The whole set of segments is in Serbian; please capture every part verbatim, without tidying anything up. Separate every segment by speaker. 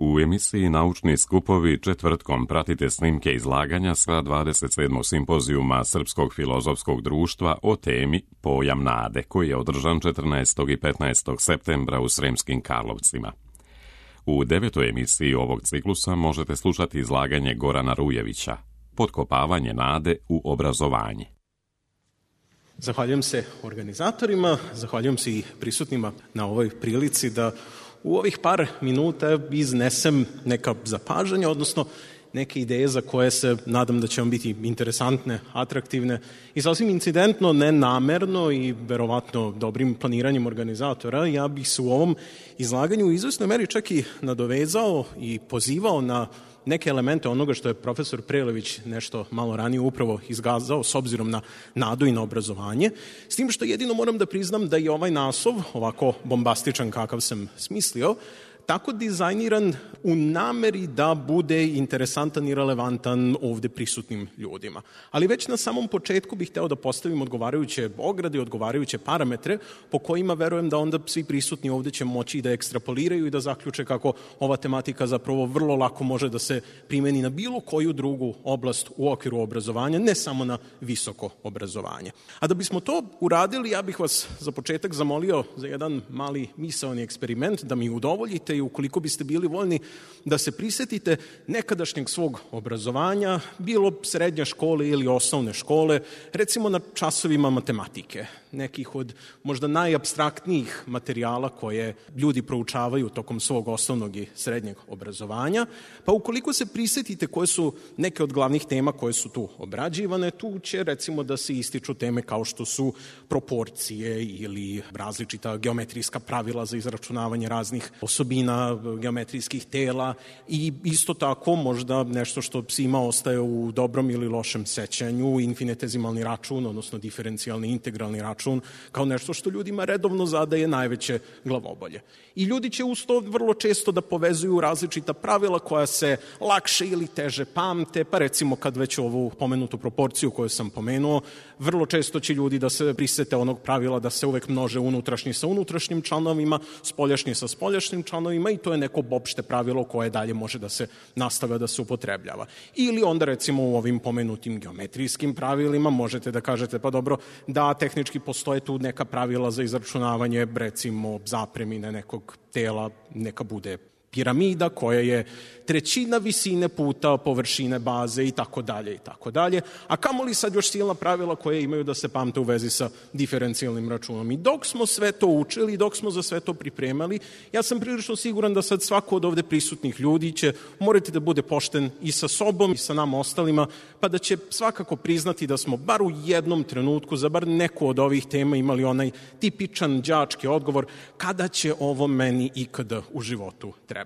Speaker 1: U emisiji Naučni skupovi četvrtkom pratite snimke izlaganja sa dvadeset sedmog simpozijuma Srpskog filozofskog društva o temi Pojam nade, koji je održan četrnaestog i petnaestog septembra u Sremskim Karlovcima. U devetoj emisiji ovog ciklusa možete slušati izlaganje Gorana Rujevića, Potkopavanje nade u obrazovanje.
Speaker 2: Zahvaljujem se organizatorima, zahvaljujem se i prisutnima na ovoj prilici da u ovih par minuta iznesem neka zapažanja, odnosno neke ideje za koje se nadam da će vam biti interesantne, atraktivne i sasvim incidentno, nenamerno i verovatno dobrim planiranjem organizatora. Ja bih se u ovom izlaganju u izvesnoj meri čak i nadovezao i pozivao na neke elemente onoga što je profesor Prelević nešto malo ranije upravo izgazao s obzirom na nadu i na obrazovanje, s tim što jedino moram da priznam da je ovaj naslov, ovako bombastičan kakav sam smislio, tako dizajniran u nameri da bude interesantan i relevantan ovde prisutnim ljudima. Ali već na samom početku bih hteo da postavim odgovarajuće ograde, odgovarajuće parametre po kojima verujem da onda svi prisutni ovde će moći da ekstrapoliraju i da zaključe kako ova tematika zapravo vrlo lako može da se primeni na bilo koju drugu oblast u okviru obrazovanja, ne samo na visoko obrazovanje. A da bismo to uradili, ja bih vas za početak zamolio za jedan mali misaoni eksperiment, da mi udovoljite i ukoliko biste bili voljni da se prisetite nekadašnjeg svog obrazovanja, bilo srednje škole ili osnovne škole, recimo na časovima matematike, nekih od možda najapstraktnijih materijala koje ljudi proučavaju tokom svog osnovnog i srednjeg obrazovanja, pa ukoliko se prisetite koje su neke od glavnih tema koje su tu obrađivane, tu će recimo da se ističu teme kao što su proporcije ili različita geometrijska pravila za izračunavanje raznih osobina geometrijskih tela i isto tako možda nešto što svima ostaje u dobrom ili lošem sećanju, infinitezimalni račun, odnosno diferencijalni integralni račun, kao nešto što ljudima redovno zadaje najveće glavobolje. I ljudi će uz to vrlo često da povezuju različita pravila koja se lakše ili teže pamte, pa recimo kad već ovu pomenutu proporciju koju sam pomenuo, vrlo često će ljudi da se prisete onog pravila da se uvek množe unutrašnji sa unutrašnjim članovima, spoljašnji sa spoljašnjim članovima i to je neko opšte pravilo koje dalje može da se nastavlja da se upotrebljava. Ili onda recimo u ovim pomenutim geometrijskim pravilima možete da kažete pa dobro da tehnički postoje tu neka pravila za izračunavanje recimo zapremine nekog tela, neka bude piramida koja je trećina visine puta površine baze i tako dalje i tako dalje, a kamoli sad još silna pravila koje imaju da se pamte u vezi sa diferencijalnim računom. I dok smo sve to učili, dok smo za sve to pripremali, ja sam prilično siguran da sad svako od ovde prisutnih ljudi će morati da bude pošten i sa sobom i sa nama ostalima, pa da će svakako priznati da smo bar u jednom trenutku za bar neku od ovih tema imali onaj tipičan đački odgovor kada će ovo meni ikada u životu trebati.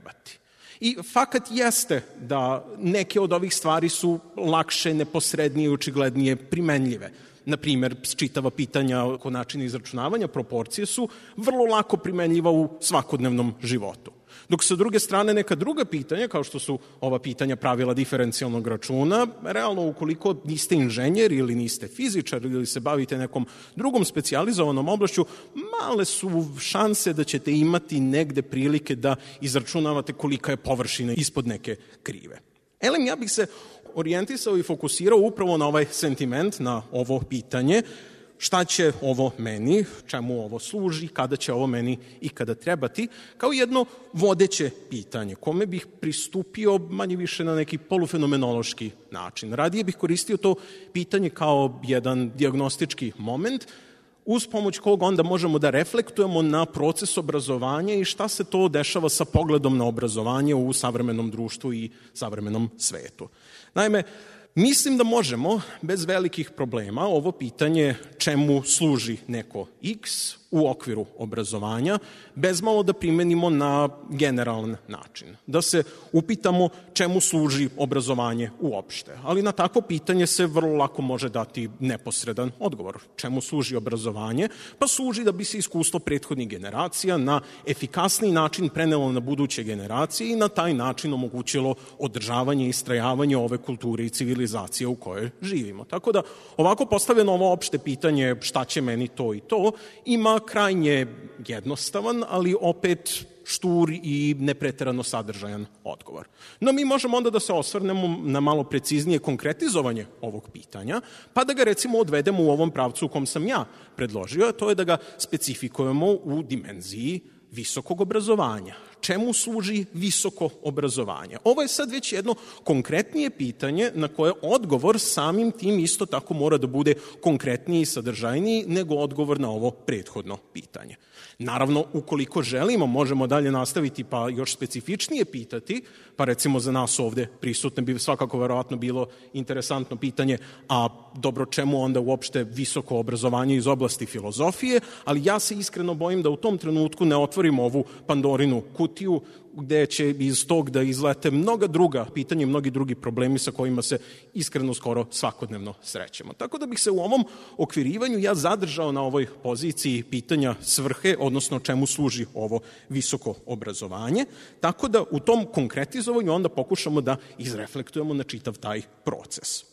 Speaker 2: I fakat jeste da neke od ovih stvari su lakše, neposrednije i očiglednije primenljive. Naprimer, čitava pitanja oko načina izračunavanja proporcije su vrlo lako primenljiva u svakodnevnom životu. Dok sa druge strane neka druga pitanja, kao što su ova pitanja pravila diferencijalnog računa, realno ukoliko niste inženjer ili niste fizičar ili se bavite nekom drugom specijalizovanom oblašću, male su šanse da ćete imati negde prilike da izračunavate kolika je površina ispod neke krive. Elem, ja bih se orijentisao i fokusirao upravo na ovaj sentiment, na ovo pitanje, šta će ovo meni, čemu ovo služi, kada će ovo meni i kada trebati, kao jedno vodeće pitanje, kome bih pristupio manje više na neki polufenomenološki način. Radije bih koristio to pitanje kao jedan dijagnostički moment, uz pomoć kog onda možemo da reflektujemo na proces obrazovanja i šta se to dešava sa pogledom na obrazovanje u savremenom društvu i savremenom svetu. Naime, mislim da možemo bez velikih problema ovo pitanje čemu služi neko X u okviru obrazovanja, bezmalo da primenimo na generalan način. Da se upitamo čemu služi obrazovanje uopšte. Ali na takvo pitanje se vrlo lako može dati neposredan odgovor. Čemu služi obrazovanje? Pa služi da bi se iskustvo prethodnih generacija na efikasniji način prenelo na buduće generacije i na taj način omogućilo održavanje i istrajavanje ove kulture i civilizacije u kojoj živimo. Tako da ovako postavljeno ovo opšte pitanje šta će meni to i to ima ima krajnje jednostavan, ali opet štur i nepreterano sadržajan odgovor. No mi možemo onda da se osvrnemo na malo preciznije konkretizovanje ovog pitanja, pa da ga recimo odvedemo u ovom pravcu u kom sam ja predložio, a to je da ga specifikujemo u dimenziji visokog obrazovanja. Čemu služi visoko obrazovanje? Ovo je sad već jedno konkretnije pitanje na koje odgovor samim tim isto tako mora da bude konkretniji i sadržajniji nego odgovor na ovo prethodno pitanje. Naravno, ukoliko želimo, možemo dalje nastaviti pa još specifičnije pitati, pa recimo za nas ovde prisutne bi svakako verovatno bilo interesantno pitanje, a dobro, čemu onda uopšte visoko obrazovanje iz oblasti filozofije, ali ja se iskreno bojim da u tom trenutku ne otvorimo ovu Pandorinu kutiju, gde će iz tog da izlete mnoga druga pitanja i mnogi drugi problemi sa kojima se iskreno skoro svakodnevno srećemo. Tako da bih se u ovom okvirivanju ja zadržao na ovoj poziciji pitanja svrhe, odnosno čemu služi ovo visoko obrazovanje, tako da u tom konkretizovanju onda pokušamo da izreflektujemo na čitav taj proces.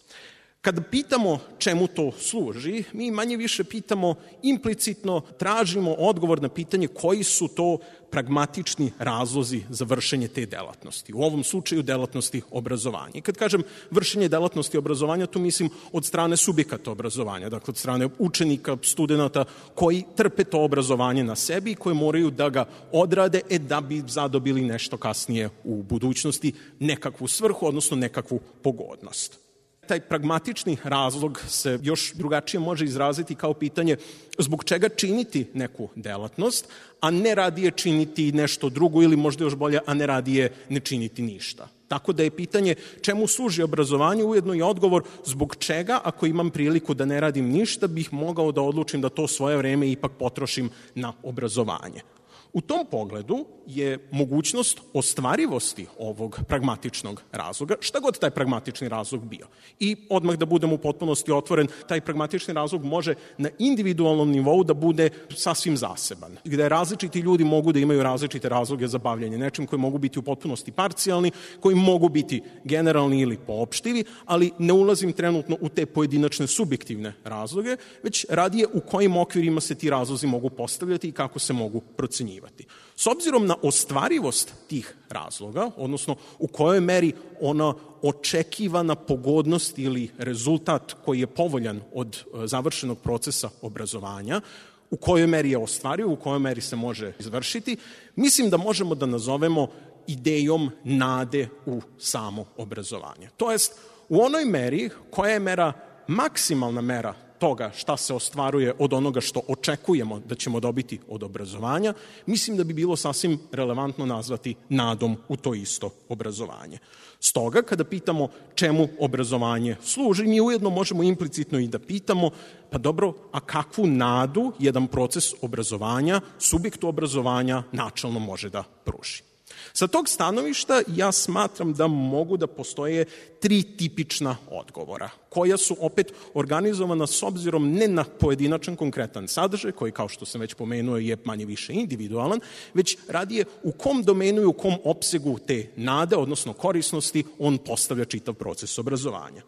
Speaker 2: Kada pitamo čemu to služi, mi manje više pitamo implicitno, tražimo odgovor na pitanje koji su to pragmatični razlozi za vršenje te delatnosti. U ovom slučaju delatnosti obrazovanja. I kad kažem vršenje delatnosti obrazovanja, tu mislim od strane subjekata obrazovanja, dakle od strane učenika, studenta koji trpe to obrazovanje na sebi i koji moraju da ga odrade e da bi zadobili nešto kasnije u budućnosti, nekakvu svrhu, odnosno nekakvu pogodnost. Taj pragmatični razlog se još drugačije može izraziti kao pitanje zbog čega činiti neku delatnost, a ne radije činiti nešto drugo ili možda još bolje, a ne radije ne činiti ništa. Tako da je pitanje čemu služi obrazovanje ujedno i odgovor zbog čega, ako imam priliku da ne radim ništa, bih mogao da odlučim da to svoje vreme ipak potrošim na obrazovanje. U tom pogledu je mogućnost ostvarivosti ovog pragmatičnog razloga, šta god taj pragmatični razlog bio. I odmah da budem u potpunosti otvoren, taj pragmatični razlog može na individualnom nivou da bude sasvim zaseban, gde različiti ljudi mogu da imaju različite razloge za bavljanje nečim koji mogu biti u potpunosti parcijalni, koji mogu biti generalni ili poopštivi, ali ne ulazim trenutno u te pojedinačne subjektivne razloge, već radije u kojim okvirima se ti razlozi mogu postavljati i kako se mogu procenjivati. S obzirom na ostvarivost tih razloga, odnosno u kojoj meri ona očekivana pogodnost ili rezultat koji je povoljan od završenog procesa obrazovanja, u kojoj meri je ostvariv, u kojoj meri se može izvršiti, mislim da možemo da nazovemo idejom nade u samo obrazovanje. To jest, u onoj meri koja je mera, maksimalna mera toga šta se ostvaruje od onoga što očekujemo da ćemo dobiti od obrazovanja, mislim da bi bilo sasvim relevantno nazvati nadom u to isto obrazovanje. Stoga, kada pitamo čemu obrazovanje služi, mi ujedno možemo implicitno i da pitamo, pa dobro, a kakvu nadu jedan proces obrazovanja, subjektu obrazovanja načalno može da pruži. Sa tog stanovišta ja smatram da mogu da postoje tri tipična odgovora, koja su opet organizovana s obzirom ne na pojedinačan konkretan sadržaj, koji kao što sam već pomenuo je manje više individualan, već radije u kom domenu i u kom opsegu te nade, odnosno korisnosti, on postavlja čitav proces obrazovanja.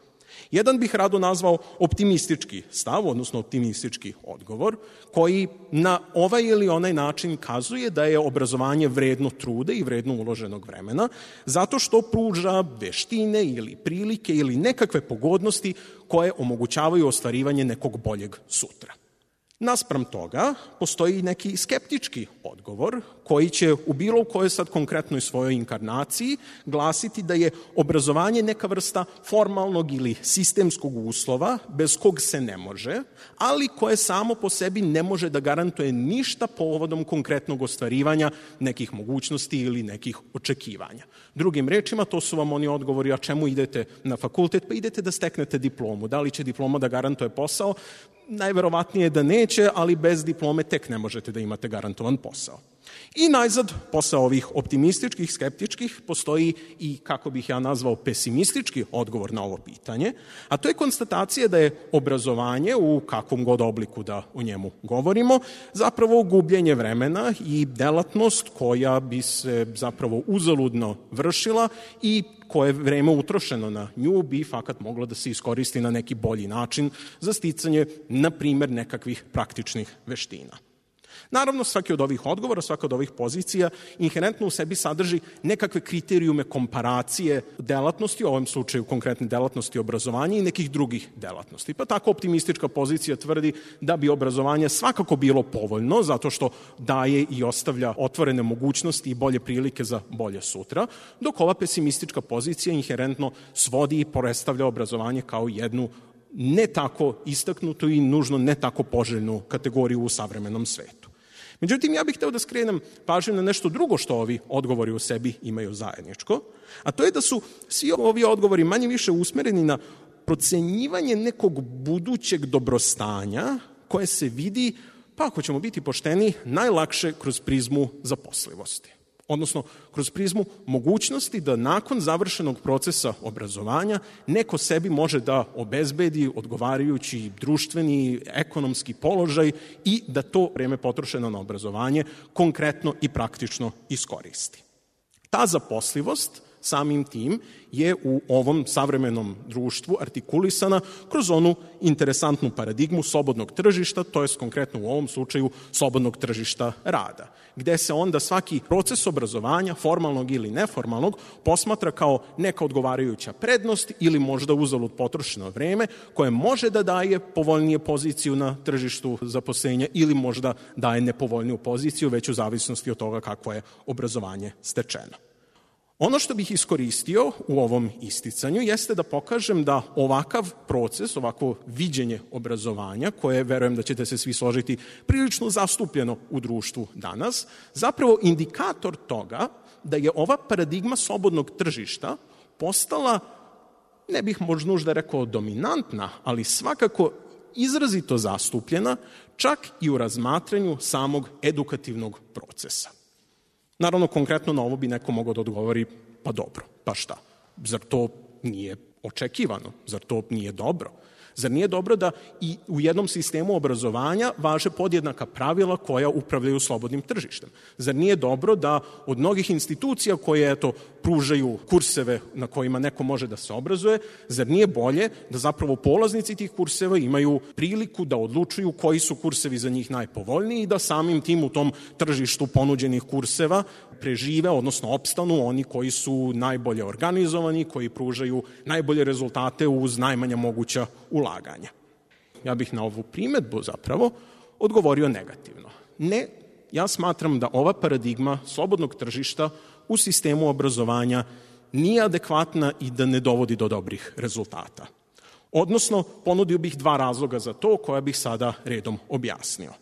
Speaker 2: Jedan bih rado nazvao optimistički stav, odnosno optimistički odgovor, koji na ovaj ili onaj način kazuje da je obrazovanje vredno truda i vredno uloženog vremena, zato što pruža veštine ili prilike ili nekakve pogodnosti koje omogućavaju ostvarivanje nekog boljeg sutra. Naspram toga, postoji neki skeptički odgovor koji će u bilo kojoj sad konkretnoj svojoj inkarnaciji glasiti da je obrazovanje neka vrsta formalnog ili sistemskog uslova bez kog se ne može, ali koje samo po sebi ne može da garantuje ništa povodom konkretnog ostvarivanja nekih mogućnosti ili nekih očekivanja. Drugim rečima, to su vam oni odgovori, a čemu idete na fakultet? Pa idete da steknete diplomu. Da li će diploma da garantuje posao? Najverovatnije da neće, ali bez diplome tek ne možete da imate garantovan posao. I najzad, posle ovih optimističkih, skeptičkih, postoji i, kako bih ja nazvao, pesimistički odgovor na ovo pitanje, a to je konstatacija da je obrazovanje, u kakvom god obliku da o njemu govorimo, zapravo gubljenje vremena i delatnost koja bi se zapravo uzaludno vršila i koje vreme utrošeno na nju bi fakat moglo da se iskoristi na neki bolji način za sticanje, na primer, nekakvih praktičnih veština. Naravno, svaki od ovih odgovora, svaka od ovih pozicija inherentno u sebi sadrži nekakve kriterijume komparacije delatnosti, u ovom slučaju konkretne delatnosti obrazovanja i nekih drugih delatnosti. Pa tako optimistička pozicija tvrdi da bi obrazovanje svakako bilo povoljno, zato što daje i ostavlja otvorene mogućnosti i bolje prilike za bolje sutra, dok ova pesimistička pozicija inherentno svodi i predstavlja obrazovanje kao jednu ne tako istaknutu i nužno ne tako poželjnu kategoriju u savremenom svetu. Međutim, ja bih hteo da skrenem pažnju na nešto drugo što ovi odgovori u sebi imaju zajedničko, a to je da su svi ovi odgovori manje više usmereni na procenjivanje nekog budućeg dobrostanja koje se vidi, pa ako ćemo biti pošteni, najlakše kroz prizmu zaposlivosti. Odnosno, kroz prizmu mogućnosti da nakon završenog procesa obrazovanja neko sebi može da obezbedi odgovarajući društveni, ekonomski položaj i da to vreme potrošeno na obrazovanje konkretno i praktično iskoristi. Ta zaposlivost samim tim je u ovom savremenom društvu artikulisana kroz onu interesantnu paradigmu slobodnog tržišta, to je konkretno u ovom slučaju slobodnog tržišta rada, gde se onda svaki proces obrazovanja, formalnog ili neformalnog, posmatra kao neka odgovarajuća prednost ili možda uzalud potrošeno vreme koje može da daje povoljnije poziciju na tržištu zaposlenja ili možda daje nepovoljniju poziciju, već u zavisnosti od toga kako je obrazovanje stečeno. Ono što bih iskoristio u ovom isticanju jeste da pokažem da ovakav proces, ovako viđenje obrazovanja, koje verujem da ćete se svi složiti prilično zastupljeno u društvu danas, zapravo indikator toga da je ova paradigma slobodnog tržišta postala, ne bih možda nužda rekao dominantna, ali svakako izrazito zastupljena čak i u razmatranju samog edukativnog procesa. Naravno, konkretno na ovo bi neko mogao da odgovori, pa dobro, pa šta? Zar to nije očekivano? Zar to nije dobro? Zar nije dobro da i u jednom sistemu obrazovanja važe podjednaka pravila koja upravljaju slobodnim tržištem? Zar nije dobro da od mnogih institucija koje, eto, pružaju kurseve na kojima neko može da se obrazuje, zar nije bolje da zapravo polaznici tih kurseva imaju priliku da odlučuju koji su kursevi za njih najpovoljniji i da samim tim u tom tržištu ponuđenih kurseva prežive, odnosno opstanu oni koji su najbolje organizovani, koji pružaju najbolje rezultate uz najmanja moguća ulaganja. Ja bih na ovu primetbu zapravo odgovorio negativno. Ne, ja smatram da ova paradigma slobodnog tržišta u sistemu obrazovanja nije adekvatna i da ne dovodi do dobrih rezultata. Odnosno, ponudio bih dva razloga za to koja bih sada redom objasnio.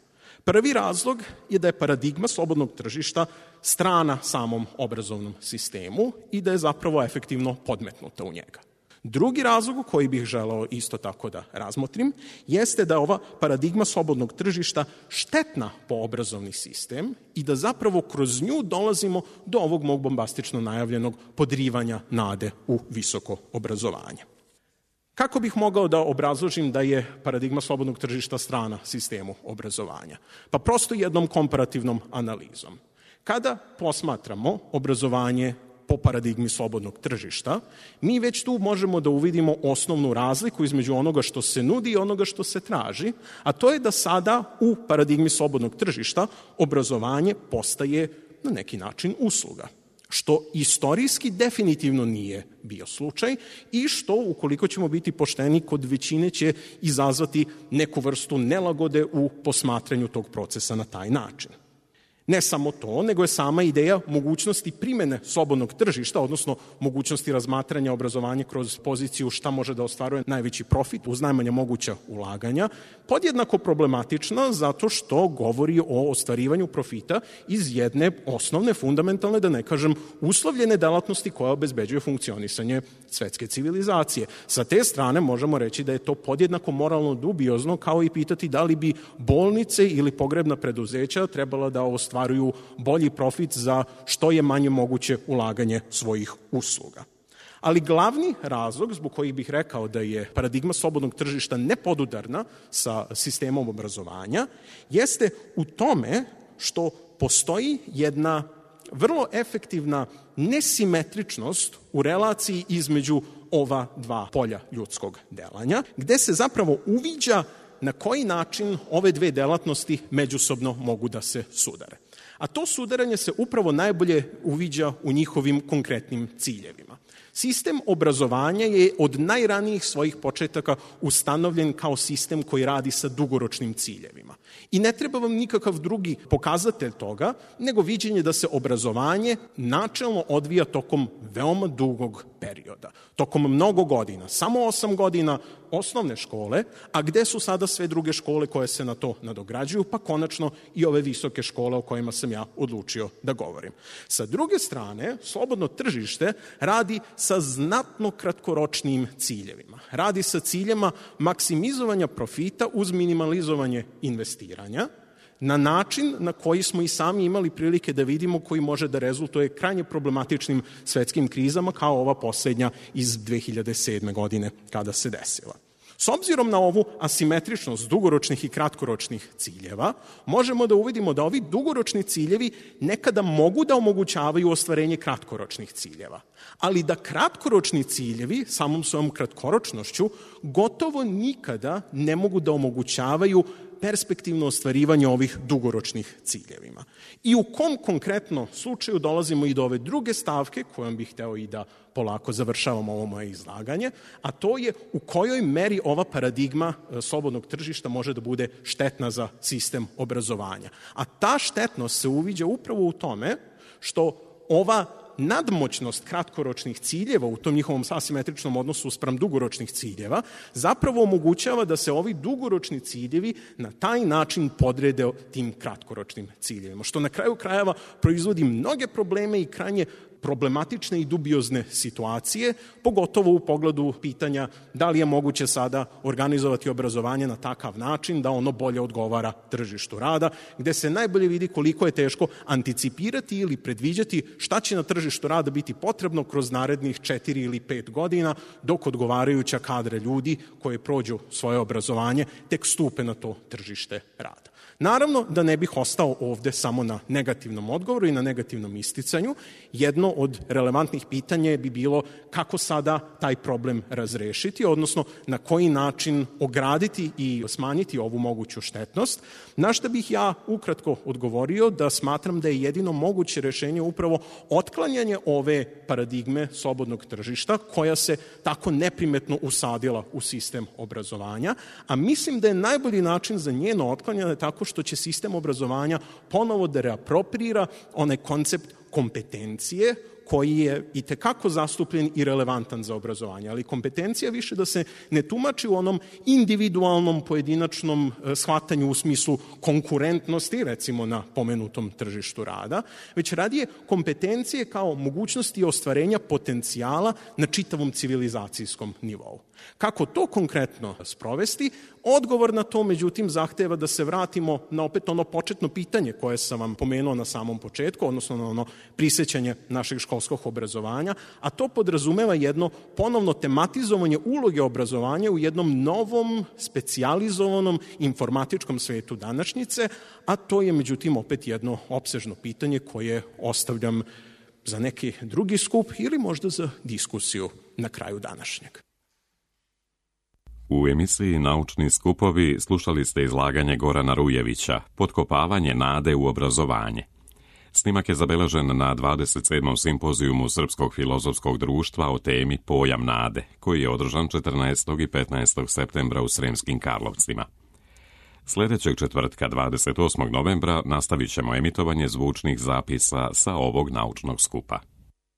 Speaker 2: Prvi razlog je da je paradigma slobodnog tržišta strana samom obrazovnom sistemu i da je zapravo efektivno podmetnuta u njega. Drugi razlog koji bih želeo isto tako da razmotrim jeste da je ova paradigma slobodnog tržišta štetna po obrazovni sistem i da zapravo kroz nju dolazimo do ovog mog bombastično najavljenog podrivanja nade u visoko obrazovanje. Kako bih mogao da obrazložim da je paradigma slobodnog tržišta strana sistemu obrazovanja? Pa prosto jednom komparativnom analizom. Kada posmatramo obrazovanje po paradigmi slobodnog tržišta, mi već tu možemo da uvidimo osnovnu razliku između onoga što se nudi i onoga što se traži, a to je da sada u paradigmi slobodnog tržišta obrazovanje postaje na neki način usluga, što istorijski definitivno nije bio slučaj i što, ukoliko ćemo biti pošteni, kod većine će izazvati neku vrstu nelagode u posmatranju tog procesa na taj način. Ne samo to, nego je sama ideja mogućnosti primene slobodnog tržišta, odnosno mogućnosti razmatranja obrazovanja kroz poziciju šta može da ostvaruje najveći profit uz najmanja moguća ulaganja, podjednako problematična zato što govori o ostvarivanju profita iz jedne osnovne, fundamentalne, da ne kažem, uslovljene delatnosti koja obezbeđuje funkcionisanje svetske civilizacije. Sa te strane možemo reći da je to podjednako moralno dubiozno, kao i pitati da li bi bolnice ili pogrebna preduzeća trebala da ostvaruju ostvaruju bolji profit za što je manje moguće ulaganje svojih usluga. Ali glavni razlog zbog kojih bih rekao da je paradigma slobodnog tržišta nepodudarna sa sistemom obrazovanja jeste u tome što postoji jedna vrlo efektivna nesimetričnost u relaciji između ova dva polja ljudskog delanja, gde se zapravo uviđa na koji način ove dve delatnosti međusobno mogu da se sudare. A to sudaranje se upravo najbolje uviđa u njihovim konkretnim ciljevima. Sistem obrazovanja je od najranijih svojih početaka ustanovljen kao sistem koji radi sa dugoročnim ciljevima. I ne treba vam nikakav drugi pokazatelj toga, nego viđenje da se obrazovanje načelno odvija tokom veoma dugog perioda, tokom mnogo godina, samo osam godina osnovne škole, a gde su sada sve druge škole koje se na to nadograđuju, pa konačno i ove visoke škole o kojima sam ja odlučio da govorim. Sa druge strane, slobodno tržište radi sa znatno kratkoročnim ciljevima. Radi sa ciljema maksimizovanja profita uz minimalizovanje investiranja, na način na koji smo i sami imali prilike da vidimo, koji može da rezultuje krajnje problematičnim svetskim krizama kao ova poslednja iz dve hiljade sedme. godine kada se desila. S obzirom na ovu asimetričnost dugoročnih i kratkoročnih ciljeva, možemo da uvidimo da ovi dugoročni ciljevi nekada mogu da omogućavaju ostvarenje kratkoročnih ciljeva, ali da kratkoročni ciljevi samom svojom kratkoročnošću gotovo nikada ne mogu da omogućavaju perspektivno ostvarivanje ovih dugoročnih ciljevima. I u kom konkretno slučaju dolazimo i do ove druge stavke, kojom bih hteo i da polako završavamo ovo moje izlaganje, a to je u kojoj meri ova paradigma slobodnog tržišta može da bude štetna za sistem obrazovanja. A ta štetnost se uviđa upravo u tome što ova nadmoćnost kratkoročnih ciljeva u tom njihovom asimetričnom odnosu spram dugoročnih ciljeva zapravo omogućava da se ovi dugoročni ciljevi na taj način podrede tim kratkoročnim ciljevima, što na kraju krajeva proizvodi mnoge probleme i krajnje problematične i dubiozne situacije, pogotovo u pogledu pitanja da li je moguće sada organizovati obrazovanje na takav način da ono bolje odgovara tržištu rada, gde se najbolje vidi koliko je teško anticipirati ili predviđati šta će na tržištu rada biti potrebno kroz narednih četiri ili pet godina, dok odgovarajuća kadra ljudi koji prođu svoje obrazovanje tek stupe na to tržište rada. Naravno da ne bih ostao ovde samo na negativnom odgovoru i na negativnom isticanju. Jedno od relevantnih pitanja bi bilo kako sada taj problem razrešiti, odnosno na koji način ograditi i smanjiti ovu moguću štetnost, na šta bih ja ukratko odgovorio da smatram da je jedino moguće rešenje upravo otklanjanje ove paradigme slobodnog tržišta koja se tako neprimetno usadila u sistem obrazovanja, a mislim da je najbolji način za njeno otklanjanje tako što će sistem obrazovanja ponovo da reapropriira onaj koncept kompetencije koji je i tekako zastupljen i relevantan za obrazovanje, ali kompetencija više da se ne tumači u onom individualnom pojedinačnom shvatanju u smislu konkurentnosti, recimo na pomenutom tržištu rada, već radije kompetencije kao mogućnosti ostvarenja potencijala na čitavom civilizacijskom nivou. Kako to konkretno sprovesti? Odgovor na to, međutim, zahteva da se vratimo na opet ono početno pitanje koje sam vam pomenuo na samom početku, odnosno na ono prisećanje našeg školskog obrazovanja, a to podrazumeva jedno ponovno tematizovanje uloge obrazovanja u jednom novom, specijalizovanom informatičkom svetu današnjice, a to je, međutim, opet jedno opsežno pitanje koje ostavljam za neki drugi skup ili možda za diskusiju na kraju današnjeg.
Speaker 1: U emisiji Naučni skupovi slušali ste izlaganje Gorana Rujevića, Potkopavanje nade u obrazovanje. Snimak je zabeležen na dvadeset sedmom simpozijumu Srpskog filozofskog društva o temi Pojam nade, koji je održan četrnaestog i petnaestog septembra u Sremskim Karlovcima. Sljedećeg četvrtka, dvadeset osmog novembra, nastavit ćemo emitovanje zvučnih zapisa sa ovog naučnog skupa.